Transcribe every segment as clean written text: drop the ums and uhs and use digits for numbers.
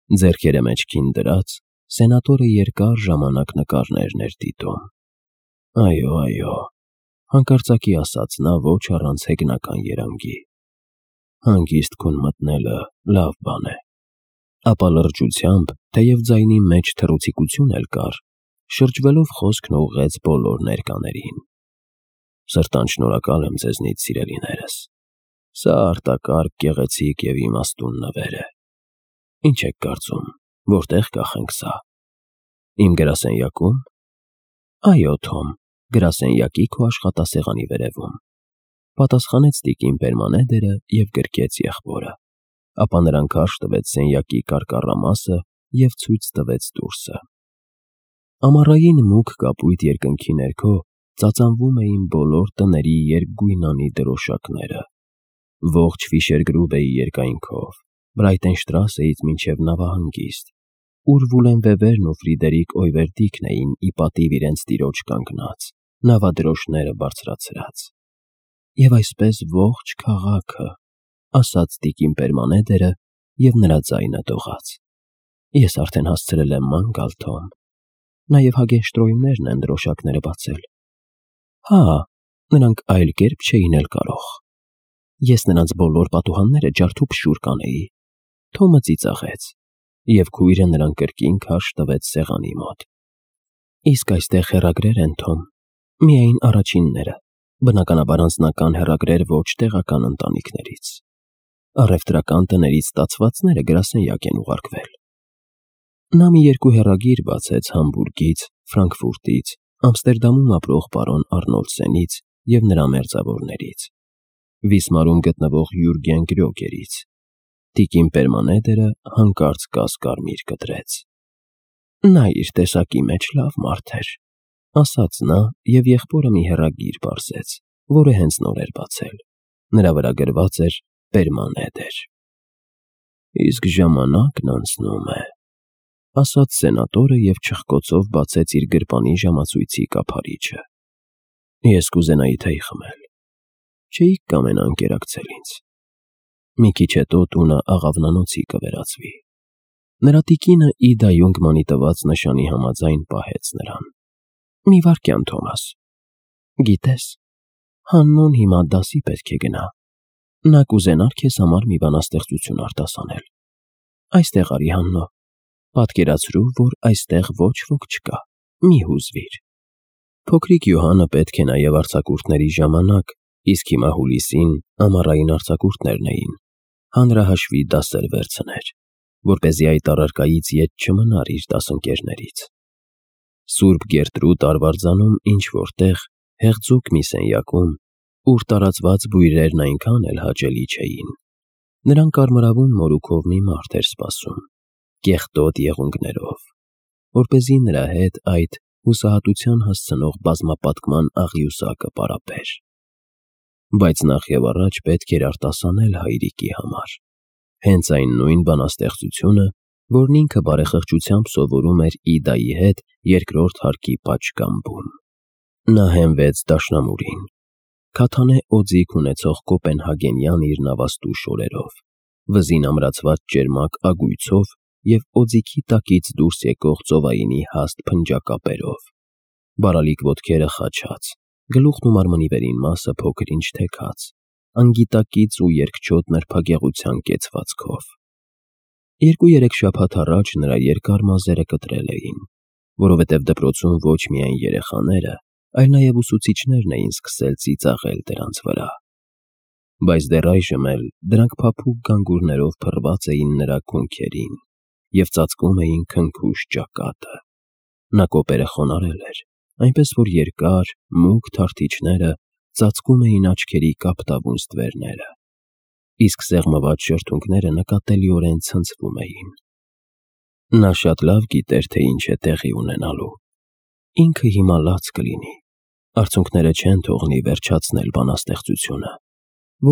Ձեռքերը մեջքին դրած, սենատորը երկար ժամանակ նկարներն էր դիտում։ Այո, հանկարծակի ասաց նա ոչ առանց հեգնական երանգի։ Հանգիստ քուն մտնելը լավ բան է։ Ապա լրջությամբ, թեև ձայնի մեջ թռուցիկություն էլ կար, շրջվելով խոսքն ուղղեց բոլոր ներկաներին։ Սրտան շնորհակալ եմ ձեզնից, սիրելիներս։ Սա արտակարգ, գեղեցիկ և իմաստուն նվեր է։ Ինչ եք կարծում, որտեղ կախենք սա։ Իմ գրասենյակո՞ւմ։ Այո, Թոմ, գրասենյակի քո աշխատասեղանի վերևում, պատասխանեց տիկին Պերմանեդերը և գրկեց եղբորը։ Ապա նրան քարշ տվեց սենյակի կարկառամասը և ցույց տվեց դուրսը։ Ամառային մուգ կապույտ երկնքի ներքո ծածանվում էին բոլոր տների երկգույնանի դրոշակները։ Ողջ Ֆիշերգրուբեի երկայնքով, Բրայտենշտրասեից մինչև նավահանգիստ, ուր Վուլենվեվերն ու Ֆրիդերիկ Օյվերտիքն էին ի պատիվ իրենց տիրոջ կանգնած, նավադրոշները բարձրացրած։ Եվ այսպես ողջ քաղաքը, ասաց տիկին Պերմանեդերը, և նրա ձայնը դողաց։ Ես արդեն հասցրել եմ ման գալ, Թոմ։ Նաև Հագենշտրոյմներն են դրոշակները բացել։ Հա, նրանք այլ կերպ չէին էլ կարող։ Ես նրանց բոլոր պատուհանները ջարդուփշուր կանեի։ Թոմը ծիծաղեց, և քույրը նրան կրկին քարշ տվեց սեղանի մոտ։ Իսկ այստեղ հեռագրեր են, Թոմ, միայն առաջինները, բնականաբար անձնական հեռագրեր ոչ տեղական ընտանիքներից։ Առևտրական տներից ստացվածները գրասենյակ են ուղարկվել։ Նա մի երկու հեռագիր բացեց Համբուրգից, Ֆրանկֆուրտից, Ամստերդամում ապրող պարոն Արնոլդսենից և նրա մերձավորներից, Վիսմարում գտնվող Յուրգեն Գրյոգերից։ Տիկին Պերմանեդերը հանկարծ կասկարմիր կտրեց։ Նա իր տեսակի մեջ լավ մարդ էր, ասաց նա և եղբորը մի հեռագիր պարզեց, որը հենց նոր էր բացել։ Նրա վրա գրված էր Պերմանեդեր։ Իսկ ժամանակն անցնում է, ասաց սենատորը և չխկոցով բացեց իր գրպանի ժամացույցի կափարիչը։ Ես կուզենայի թեյ խմել։ Չէիք կամենա ընկերակցել ինձ։ Մի քիչ հետո տունը աղավնանոցի կվերածվի։ Նրա տիկինը Իդա Յունգմանի տված նշանի համաձայն պահեց նրան։ Մի վայրկյան, Թոմաս։ Գիտես, Հաննուն հիմա դասի պետք է գնա։ Նա կուզենար քեզ համար մի բանաստեղծություն արտասանել։ Այստեղ արի, Հաննո։ Պատկերացրու, որ այստեղ ոչ ոք չկա։ Մի հուզվիր։ Փոքրիկ Յոհանը պետք է նաև արձակուրդների ժամանակ, իսկ հիմա հուլիսին ամառային արձակուրդներն էին, հանրահաշվի դասեր վերցներ, որպեսզի այդ առարկայից ետ չմնար իր դասընկերներից։ Սուրբ Գերտրուդ Արվարձանում ինչ-որտեղ, հեղձուկ մի սենյակում, ուր տարածված բույրերն այնքան էլ հաճելի չէին, նրան կարմրավուն մորուքով մի մարդ էր սպասում, կեղտոտ եղունգներով, որպեսզի նրա հետ այդ հուսահատության հասցնող բազմապատկման աղյուսակը պարապեր։ Բայց նախ և առաջ պետք էր արտասանել հայրիկի համար հենց այն նույն բանաստեղծությունը, որն ինքը բարեխղճությամբ սովորում էր Իդայի հետ երկրորդ հարկի պատշգամբում։ Նա հենվեց դաշնամուրին, քաթանե օձիք ունեցող կոպենհագենյան իր նավաստու շորերով, վզին ամրացված ճերմակ ագույցով և օձիքի տակից դուրս եկող ծովայինի հաստ փնջակապերով, բարալիկ ոտքերը խաչած, գլուխն ու մարմնի վերին մասը փոքր-ինչ թեքած, անգիտակից ու երկչոտ նրբագեղության կեցվածքով։ 2-3 շաբաթ առաջ նրա երկար մազերը կտրել էին, որովհետև դպրոցում ոչ միայն երեխաները, այլ նաև ուսուցիչներն էին սկսել ծիծաղել դրանց վրա։ Բայց դեռ այժմ էլ դրանք փափուկ գանգուրներով փռված էին նրա քունքերին և ծածկում էին քնքուշ ճակատը։ Նա կոպերը խոնարհել էր, այնպես որ երկար, մուգ թարթիչները ծածկում էին աչքերի կապտավուն ստվերները, իսկ սեղմված շրթունքները նկատելիորեն ցնցվում էին։ Նա շատ լավ գիտեր, թե ինչ է տեղի ունենալու։ Ինքը հիմա լաց կլինի, արցունքները չեն թողնի վերջացնել բանաստեղծությունը,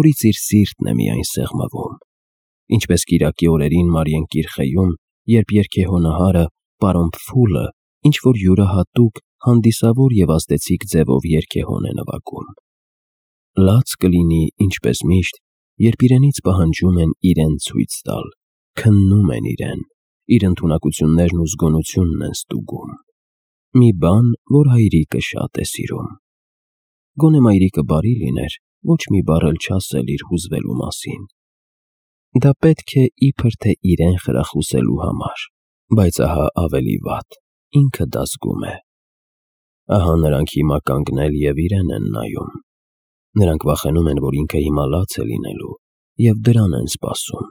որից իր սիրտն է միայն սեղմվում, ինչպես կիրակի օրերին Մարիեն Կիրխեում, երբ երգեհոնահարը պարոն Փֆուլը ինչ-որ յուրահատուկ, հանդիսավոր և ազդեցիկ ձևով երգեհոն է նվագում։ Լաց կլինի, ինչպես միշտ, երբ իրենից պահանջում են իրեն ցույց տալ, քննում են իրեն, իր ընդունակություններն ու զգոնությունն են ստուգում։ Մի բան, որ հայրիկը շատ է սիրում։ Գոնե մայրիկը բարի լիներ, ոչ մի բառ էլ չասել իր հուզվելու մասին։ Դա պետք է իբր թե իրեն խրախուսելու համար, բայց ահա ավելի վատ, ինքը դա զգում է։ Ահա նրանք հիմա կանգնել և իրեն են նայում։ Նրանք վախենում են, որ ինքը հիմա լաց է լինելու և դրան են սպասում։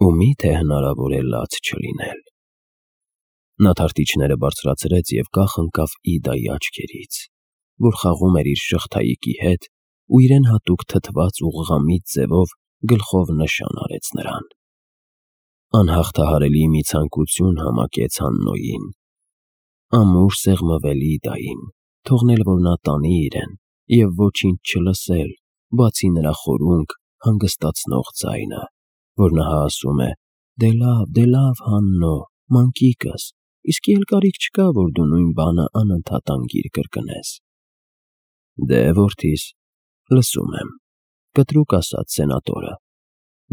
Ու միթե հնարավոր է լաց չլինել։ Նա թարթիչները բարձրացրեց և կախ ընկավ Իդայի աչքերից, որ խաղում էր իր շղթայիկի հետ ու իրեն հատուկ թթված ուղղամիտ ձևով գլխով նշան արեց նրան։ Անհաղթահարելի մի ցանկություն համակեց Հաննոյին։ Ամուր սեղմվել Իդային, թողնել, որ նա տանի իրեն և ոչինչ չլսել, բացի նրա խորունկ, հանգստացնող ձայնը, որ նա ասում է. «Դե լավ, Հաննո, մանկիկս, իսկի էլ կարիք չկա, որ դու նույն բանը անընդհատ անգիր կրկնես»։ Դե, որդիս, լսում եմ, կտրուկ ասաց սենատորը։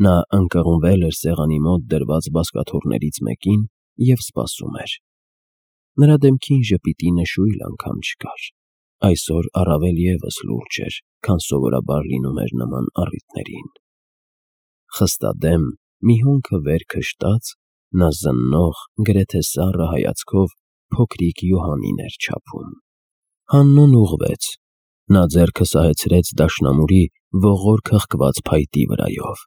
Նա ընկղմվել էր սեղանի մոտ դրված բազկաթոռներից մեկին և սպասում էր։ Նրա դեմքին ժպիտի նշույլ անգամ չկար։ Այսօր առավել ևս լուրջ էր, քան սովորաբար լինում էր նման առիթներին։ Խստադեմ, մի հոնքը վեր քշտած, նա զննող, գրեթե սառը հայացքով փոքրիկ Յոհաննին էր չափում։ Հաննուն ուղղվեց։ Նա ձեռքը սահեցրեց դաշնամուրի ողոր խղկված փայտի վրայով,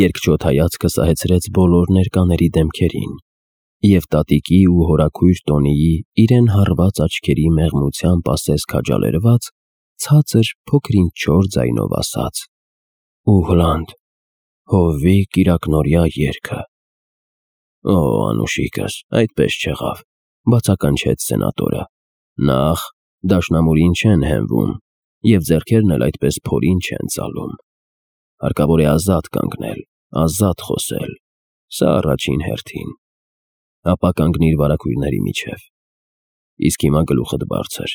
երկչոտ հայացքը սահեցրեց բոլոր ներկաների դեմքերին և տատիկի ու հորաքույր Տոնիի իրեն հառված աչքերի մեղմությամբ ասես քաջալերված, ցածր փոքրինչ չոր ձայնով ասաց. «Ուհլանդ, Հովվի կիրակնօրյա երգը»։ Օ, անուշիկս, այդպես չեղավ, բացականչեց սենատորը։ Նախ, դաշնամուրին չեն հենվում և ձեռքերն էլ այդպես փորին չեն ծալում։ Հարկավոր է ազատ կանգնել, ազատ խոսել, սա առաջին հերթին։ Ապա կանգնիր վարագույրների միջև։ Իսկ հիմա գլուխդ բարձր,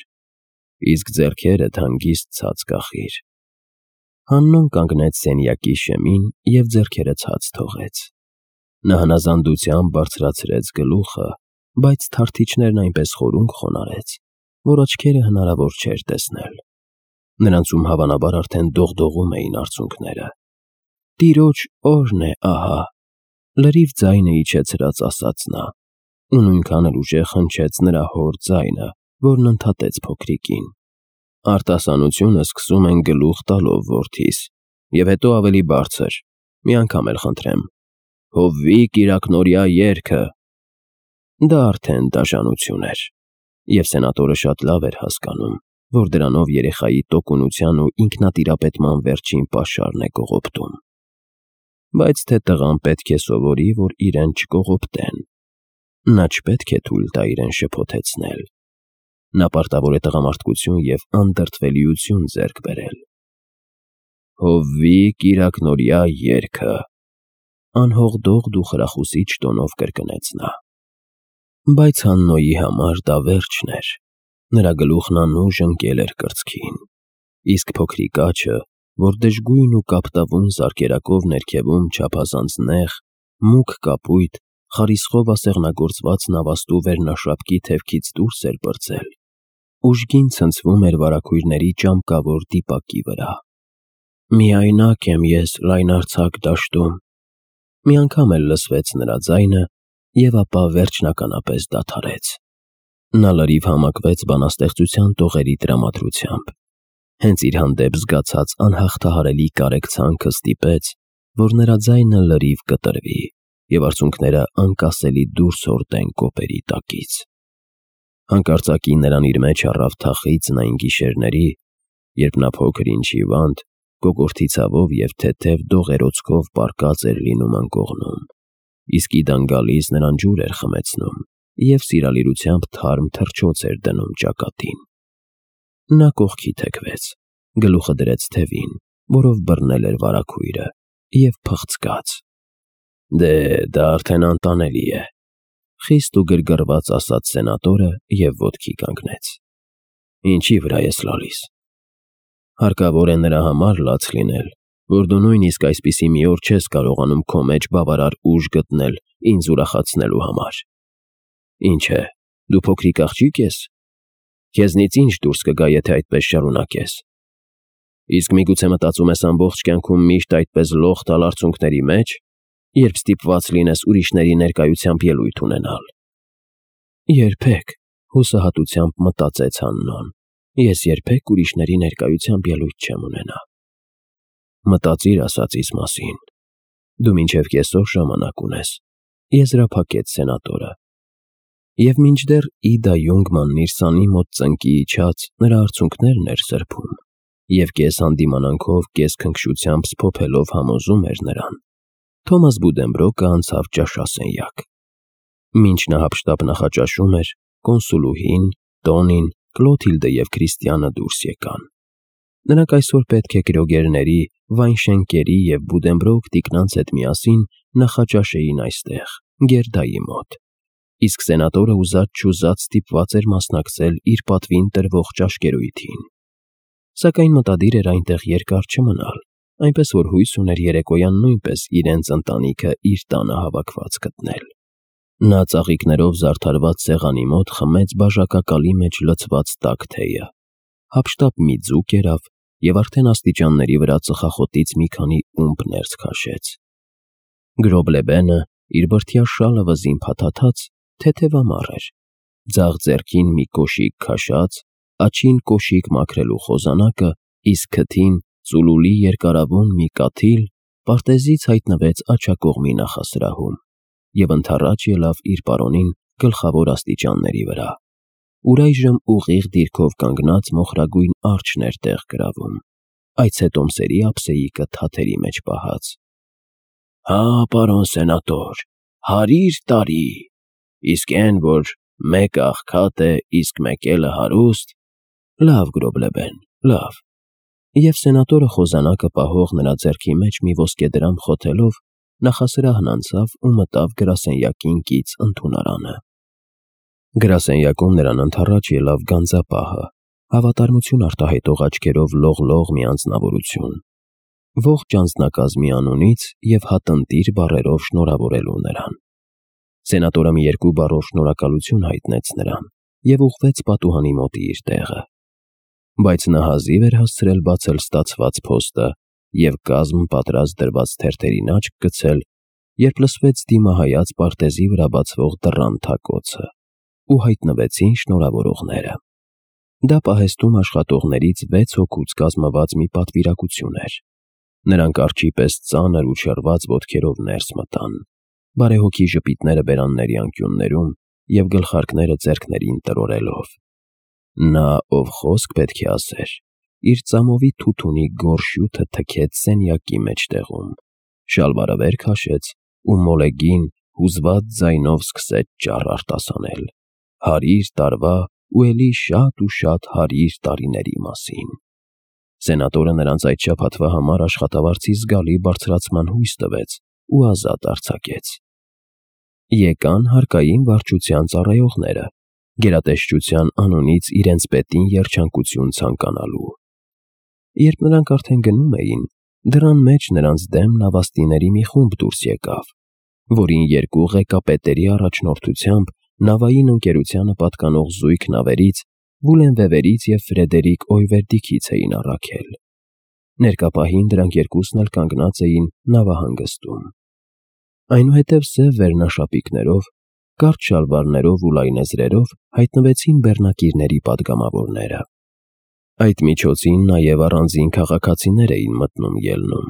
իսկ ձեռքերդ հանգիստ ցած կախիր։ Հաննուն կանգնեց սենյակի շեմին և ձեռքերը ցած թողեց։ Նա հնազանդությամբ բարձրացրեց գլուխը, բայց թարթիչներն այնպես խորունկ խոնարհեց, որ աչքերը հնարավոր չէր տեսնել։ Նրանցում հավանաբար արդեն դողդողում էին արցունքները։ «Տիրոջ օրհն է ահա», լրիվ ձայնը իջեցրած ասաց նա, ու նույնքան էլ ուժեղ հնչեց նրա հոր ձայնը, որն ընդհատեց փոքրիկին։ «Արտասանությունը սկսում են գլուխ տալով, որդիս, և հետո ավելի բարձր, մի անգամ էլ խնդրեմ. Հովվի կիրակնօրյա երգը»։ Դա արդեն դաժանություն էր, և սենատորը շատ լավ էր հասկանում, որ դրանով երեխայի տոկունության ու ինքնատիրապետման վերջին պաշարն է կողոպտում։ Բայց թե տղան պետք է սովորի, որ իրեն չկողոպտեն։ Նա չպետք է թույլ տա իրեն շփոթեցնել։ Նա պարտավոր է տղամարդկություն և անդրդվելիություն ձեռք բերել։ Հովվի կիրակնօրյա երգը, անհողդող ու խրախուսիչ տոնով կրկնեց նա։ Բայց Հաննոյի համար դա վերջն էր։ Նրա գլուխն անուժ ընկել էր կրծքին, իսկ փոքրիկ աջը, որ դժգույն ու կապտավուն զարկերակով ներքևում չափազանց նեղ, մուգ կապույտ, խարիսխով ասեղնագործված նավաստու վերնաշապկի թևքից դուրս էր պրծել, ուժգին ցնցվում էր վարագույրների ճամկավոր դիպակի վրա։ «Միայնակ եմ ես լայնարձակ դաշտում», մի անգամ էլ լսվեց նրա ձայնը և ապա վերջնականապես դադարեց։ Նա լրիվ համակվեց բանաստեղծության տողերի տրամադրությամբ։ Հենց իր հանդեպ զգացած անհաղթահարելի կարեկցանքը ստիպեց, որ նրա ձայնը լրիվ կտրվի և արցունքները անկասելի դուրս հորդեն կոպերի տակից։ Հանկարծակի նրան իր մեջ առավ թախիծն այն գիշերների, երբ նա փոքր ինչ հիվանդ, կոկորդի ցավով և թեթև դողերոցքով պառկած էր լինում անկողնում, իսկ Իդան գալիս նրան ջուր էր խմեցնում և սիրալիրությամբ թարմ թռչոց էր դնում ճակատին։ Նա կողքի թեքվեց, գլուխը դրեց թևին, որով բռնել էր վարագույրը, և փղցկաց։ «Դե, դա արդեն անտանելի է», խիստ ու գրգռված ասաց սենատորը և ոտքի կանգնեց։ «Ինչի վրա ես լալիս»։ Հարկավոր է նրա համար լաց լինել, որ դու նույնիսկ այսպիսի մի օր չես կարողանում քո մեջ բավարար ուժ գտնել, ինձ ուրախացնելու համար։ Ինչ է, դու փոքրիկ աղջիկ ես։ Քեզնից ինչ դուրս կգա, եթե այդպես շարունակես։ Իսկ միգուցե մտածում ես ամբողջ կյանքում միշտ այդպես լող տալ արցունքների մեջ, երբ ստիպված լինես ուրիշների ներկայությամբ ելույթ ունենալ։ Երբեք, հուսահատությամբ մտածեց Աննան, ես երբեք ուրիշների ներկայությամբ ելույթ չեմ ունենա։ Մտածիր ասածիս մասին։ Դու մինչև կեսօր ժամանակ ունես, եզրափակեց սենատորը։ Եվ մինչդեռ Իդա Յունգմանն իր սանի մոտ ծնկի իջած նրա արցունքներն էր սրբում, և կես հանդիմանանքով, կես քնքշությամբ սփոփելով համոզում էր նրան, Թոմաս Բուդենբրոկը անցավ ճաշասենյակ։ Մինչ նա հափշտապ նախաճաշում էր, կոնսուլուհին, Տոնին, Կլոթիլդը և Քրիստիանը դուրս եկան։ Նրանք այսօր պետք է գրոգերների, Վայնշենկերի և Բուդենբրոկ տիկնանց հետ միասին նախաճաշեին այստեղ, Գերդայի մոտ, իսկ սենատորը ուզած-չուզած ստիպված էր մասնակցել իր պատվին տրվող ճաշկերույթին։ Սակայն մտադիր էր այնտեղ երկար չմնալ, այնպես որ հույս ուներ երեկոյան նույնպես իրենց ընտանիքը իր տանը հավաքված գտնել։ Նա ծաղիկներով զարդարված սեղանի մոտ խմեց բաժակակալի մեջ լցված տաք թեյը, հափշտապ մի ձուկ կերավ և արդեն աստիճանների վրա ծխախոտից մի քանի ումպ ներս քաշեց։ Գրոբլեբենը, իր բրդյա շալը վզին փաթաթած, թեթևամառ էր, ձախ ձեռքին մի կոշիկ քաշած, աջին կոշիկ մաքրելու խոզանակը, իսկ քթին ծուլուլի երկարավուն մի կաթիլ պարտեզից հայտնվեց աջակողմի նախասրահում և ընդառաջ ելավ իր պարոնին գլխավոր աստիճանների վրա, ուր այժմ ուղիղ դիրքով կանգնած մոխրագույն արջն էր տեղ գրավում, այցետոմսերի ափսեիկը թաթերի մեջ պահած։ Հա, պարոն սենատոր, 100 տարի, իսկ էն, որ մեկը աղքատ է, իսկ մեկ էլը հարուստ, լավ Գրոբլեբեն, լավ։ Եվ սենատորը խոզանակը պահող նրա ձեռքի մեջ մի ոսկեդրամ խոթելով նախասրահն անցավ ու մտավ գրասենյակին կից ընդունարանը։ Գրասենյակում նրան ընդառաջ ելավ գանձապահը, հավատարմություն արտահայտող աչքերով լող-լող մի անձնավորություն, ողջ անձնակազմի անունից և հատնտիր բառերով շնորհավորելու նրան։ Սենատորը մի 2 բառով շնորհակալություն հայտնեց նրան և ուղղվեց պատուհանի մոտի իր տեղը։ Բայց նա հազիվ էր հասցրել բացել ստացված փոստը և կազմ պատրաստ դրված թերթերին աչք գցել, երբ լսվեց դիմահայաց պարտեզի վրա բացվող դռան թակոցը, ու հայտնվեցին շնորհավորողները։ Դա պահեստում աշխատողներից 6 հոգուց կազմված մի պատվիրակություն էր։ Նրանք արջի պես ծանր ու շռված ոտքերով ներս մտան, բարեհոգի ժպիտները բերանների անկյուններում և գլխարկները ձեռքներին տրորելով։ Նա, ով խոսք պետք է ասեր, իր ծամովի թութունի գորշ հյութը թքեց սենյակի մեջտեղում, շալվարը վեր քաշեց ու մոլեգին հուզված ձայնով սկսեց ճառ արտասանել 100 տարվա ու էլի շատ ու շատ 100 տարիների մասին։ Սենատորը նրանց այդ շաբաթվա համար աշխատավարձի զգալի բարձրացման հույս տվեց ու ազատ արձակեց։ Եկան հարկային վարչության ծառայողները, գերատեսչության անունից իրենց պետին երջանկություն ցանկանալու։ Երբ նրանք արդեն գնում էին, դռան մեջ նրանց դեմ նավաստիների մի խումբ դուրս եկավ, որին 2 ղեկապետերի առաջնորդությամբ նավային ընկերությանը պատկանող զույգ նավերից Վուլենվևերից և Ֆրեդերիկ Օյվերդիքից էին առաքել։ Ներկա պահին դրանք երկուսն էլ կանգնած էին նավահանգստում։ Այնուհետև սև վերնաշապիկներով, կարճ շալվարներով ու լայնեզրերով հայտնվեցին բեռնակիրների պատգամավորները։ Այդ միջոցին նաև առանձին քաղաքացիներ էին մտնում-ելնում։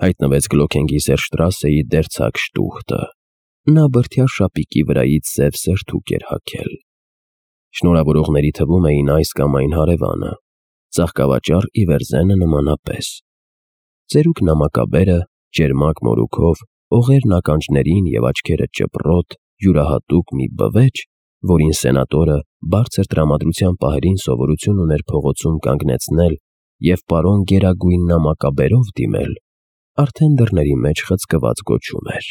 Հայտնվեց Գլոքենգի Սերշտրասեի դերձակ Շտուհտը։ Նա բրդյա շապիկի վրայից սև սերթուկ էր հագել։ Շնորհավորողների թվում էին այս կամ այն հարևանը, ծաղկավաճառ Իվերզենը նմանապես։ Ծերուկ նամակաբերը, ճերմակ մորուքով, օղերն ականջներին և աչքերը ճպռոտ, յուրահատուկ մի բվեճ, որին սենատորը բարձր տրամադրության պահերին սովորություն ուներ փողոցում կանգնեցնել և պարոն Գերագույն նամակաբերով դիմել, արդեն դռների մեջ խցկված գոչում էր.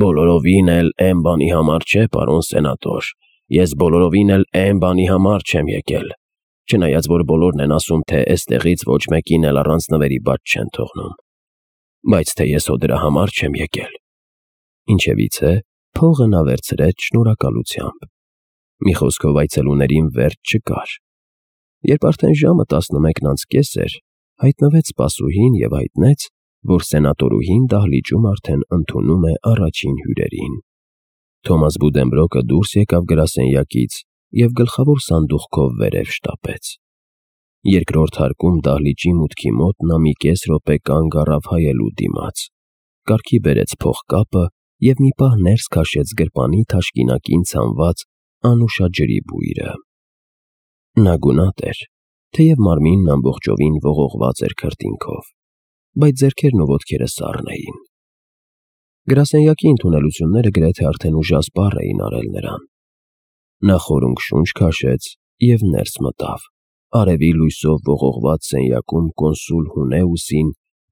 Բոլորովին էլ էն բանի համար չէ, պարոն սենատոր, ես բոլորովին էլ էն բանի համար չեմ եկել, չնայած որ բոլորն են ասում, թե էստեղից ոչ մեկին էլ առանց նվերի բաց չեն թողնում, բայց թե ես հո դրա համար չեմ եկել։ Ինչևիցե, փողը նա վերցրեց շնորհակալությամբ։ Մի խոսքով այցելուներին վերջ չկար։ Երբ արդեն ժամը 11:30 էր, հայտնվեց սպասուհին և հայտնեց, որ սենատորուհին դահլիճում արդեն ընդունում է առաջին հյուրերին։ Թոմաս Բուդենբրոկը դուրս եկավ գրասենյակից և գլխավոր սանդուղքով վերև շտապեց։ Երկրորդ հարկում դահլիճի մուտքի մոտ նա մի կես րոպե կանգ առավ հայելու դիմաց, կառքի բերեց փողկապը և մի պահ ներս քաշեց գրպանի թաշկինակին ցանված անուշ ջրի բույրը։ Նա գունատ էր, թեև մարմինն ամբողջովին ողողված էր քրտինքով, բայց ձեռքերն ու ոտքերը սառն էին։ Գրասենյակի ընդունելությունները գրեթե արդեն ուժասպառ էին արել նրան։ Նա խորունգ շունչ քաշեց և ներս մտավ։ Արևի լույսով ողողված սենյակում կոնսուլ Հունեուսին,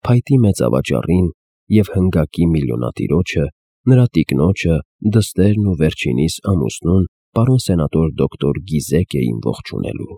փայտի մեծավաճառին և հնգակի միլիոնատիրոջը, նրա տիկնոջը, դստերն ու վերջինիս ամուսնուն, պարոն սենատոր դոկտոր Գիզեք էին ողջունելու։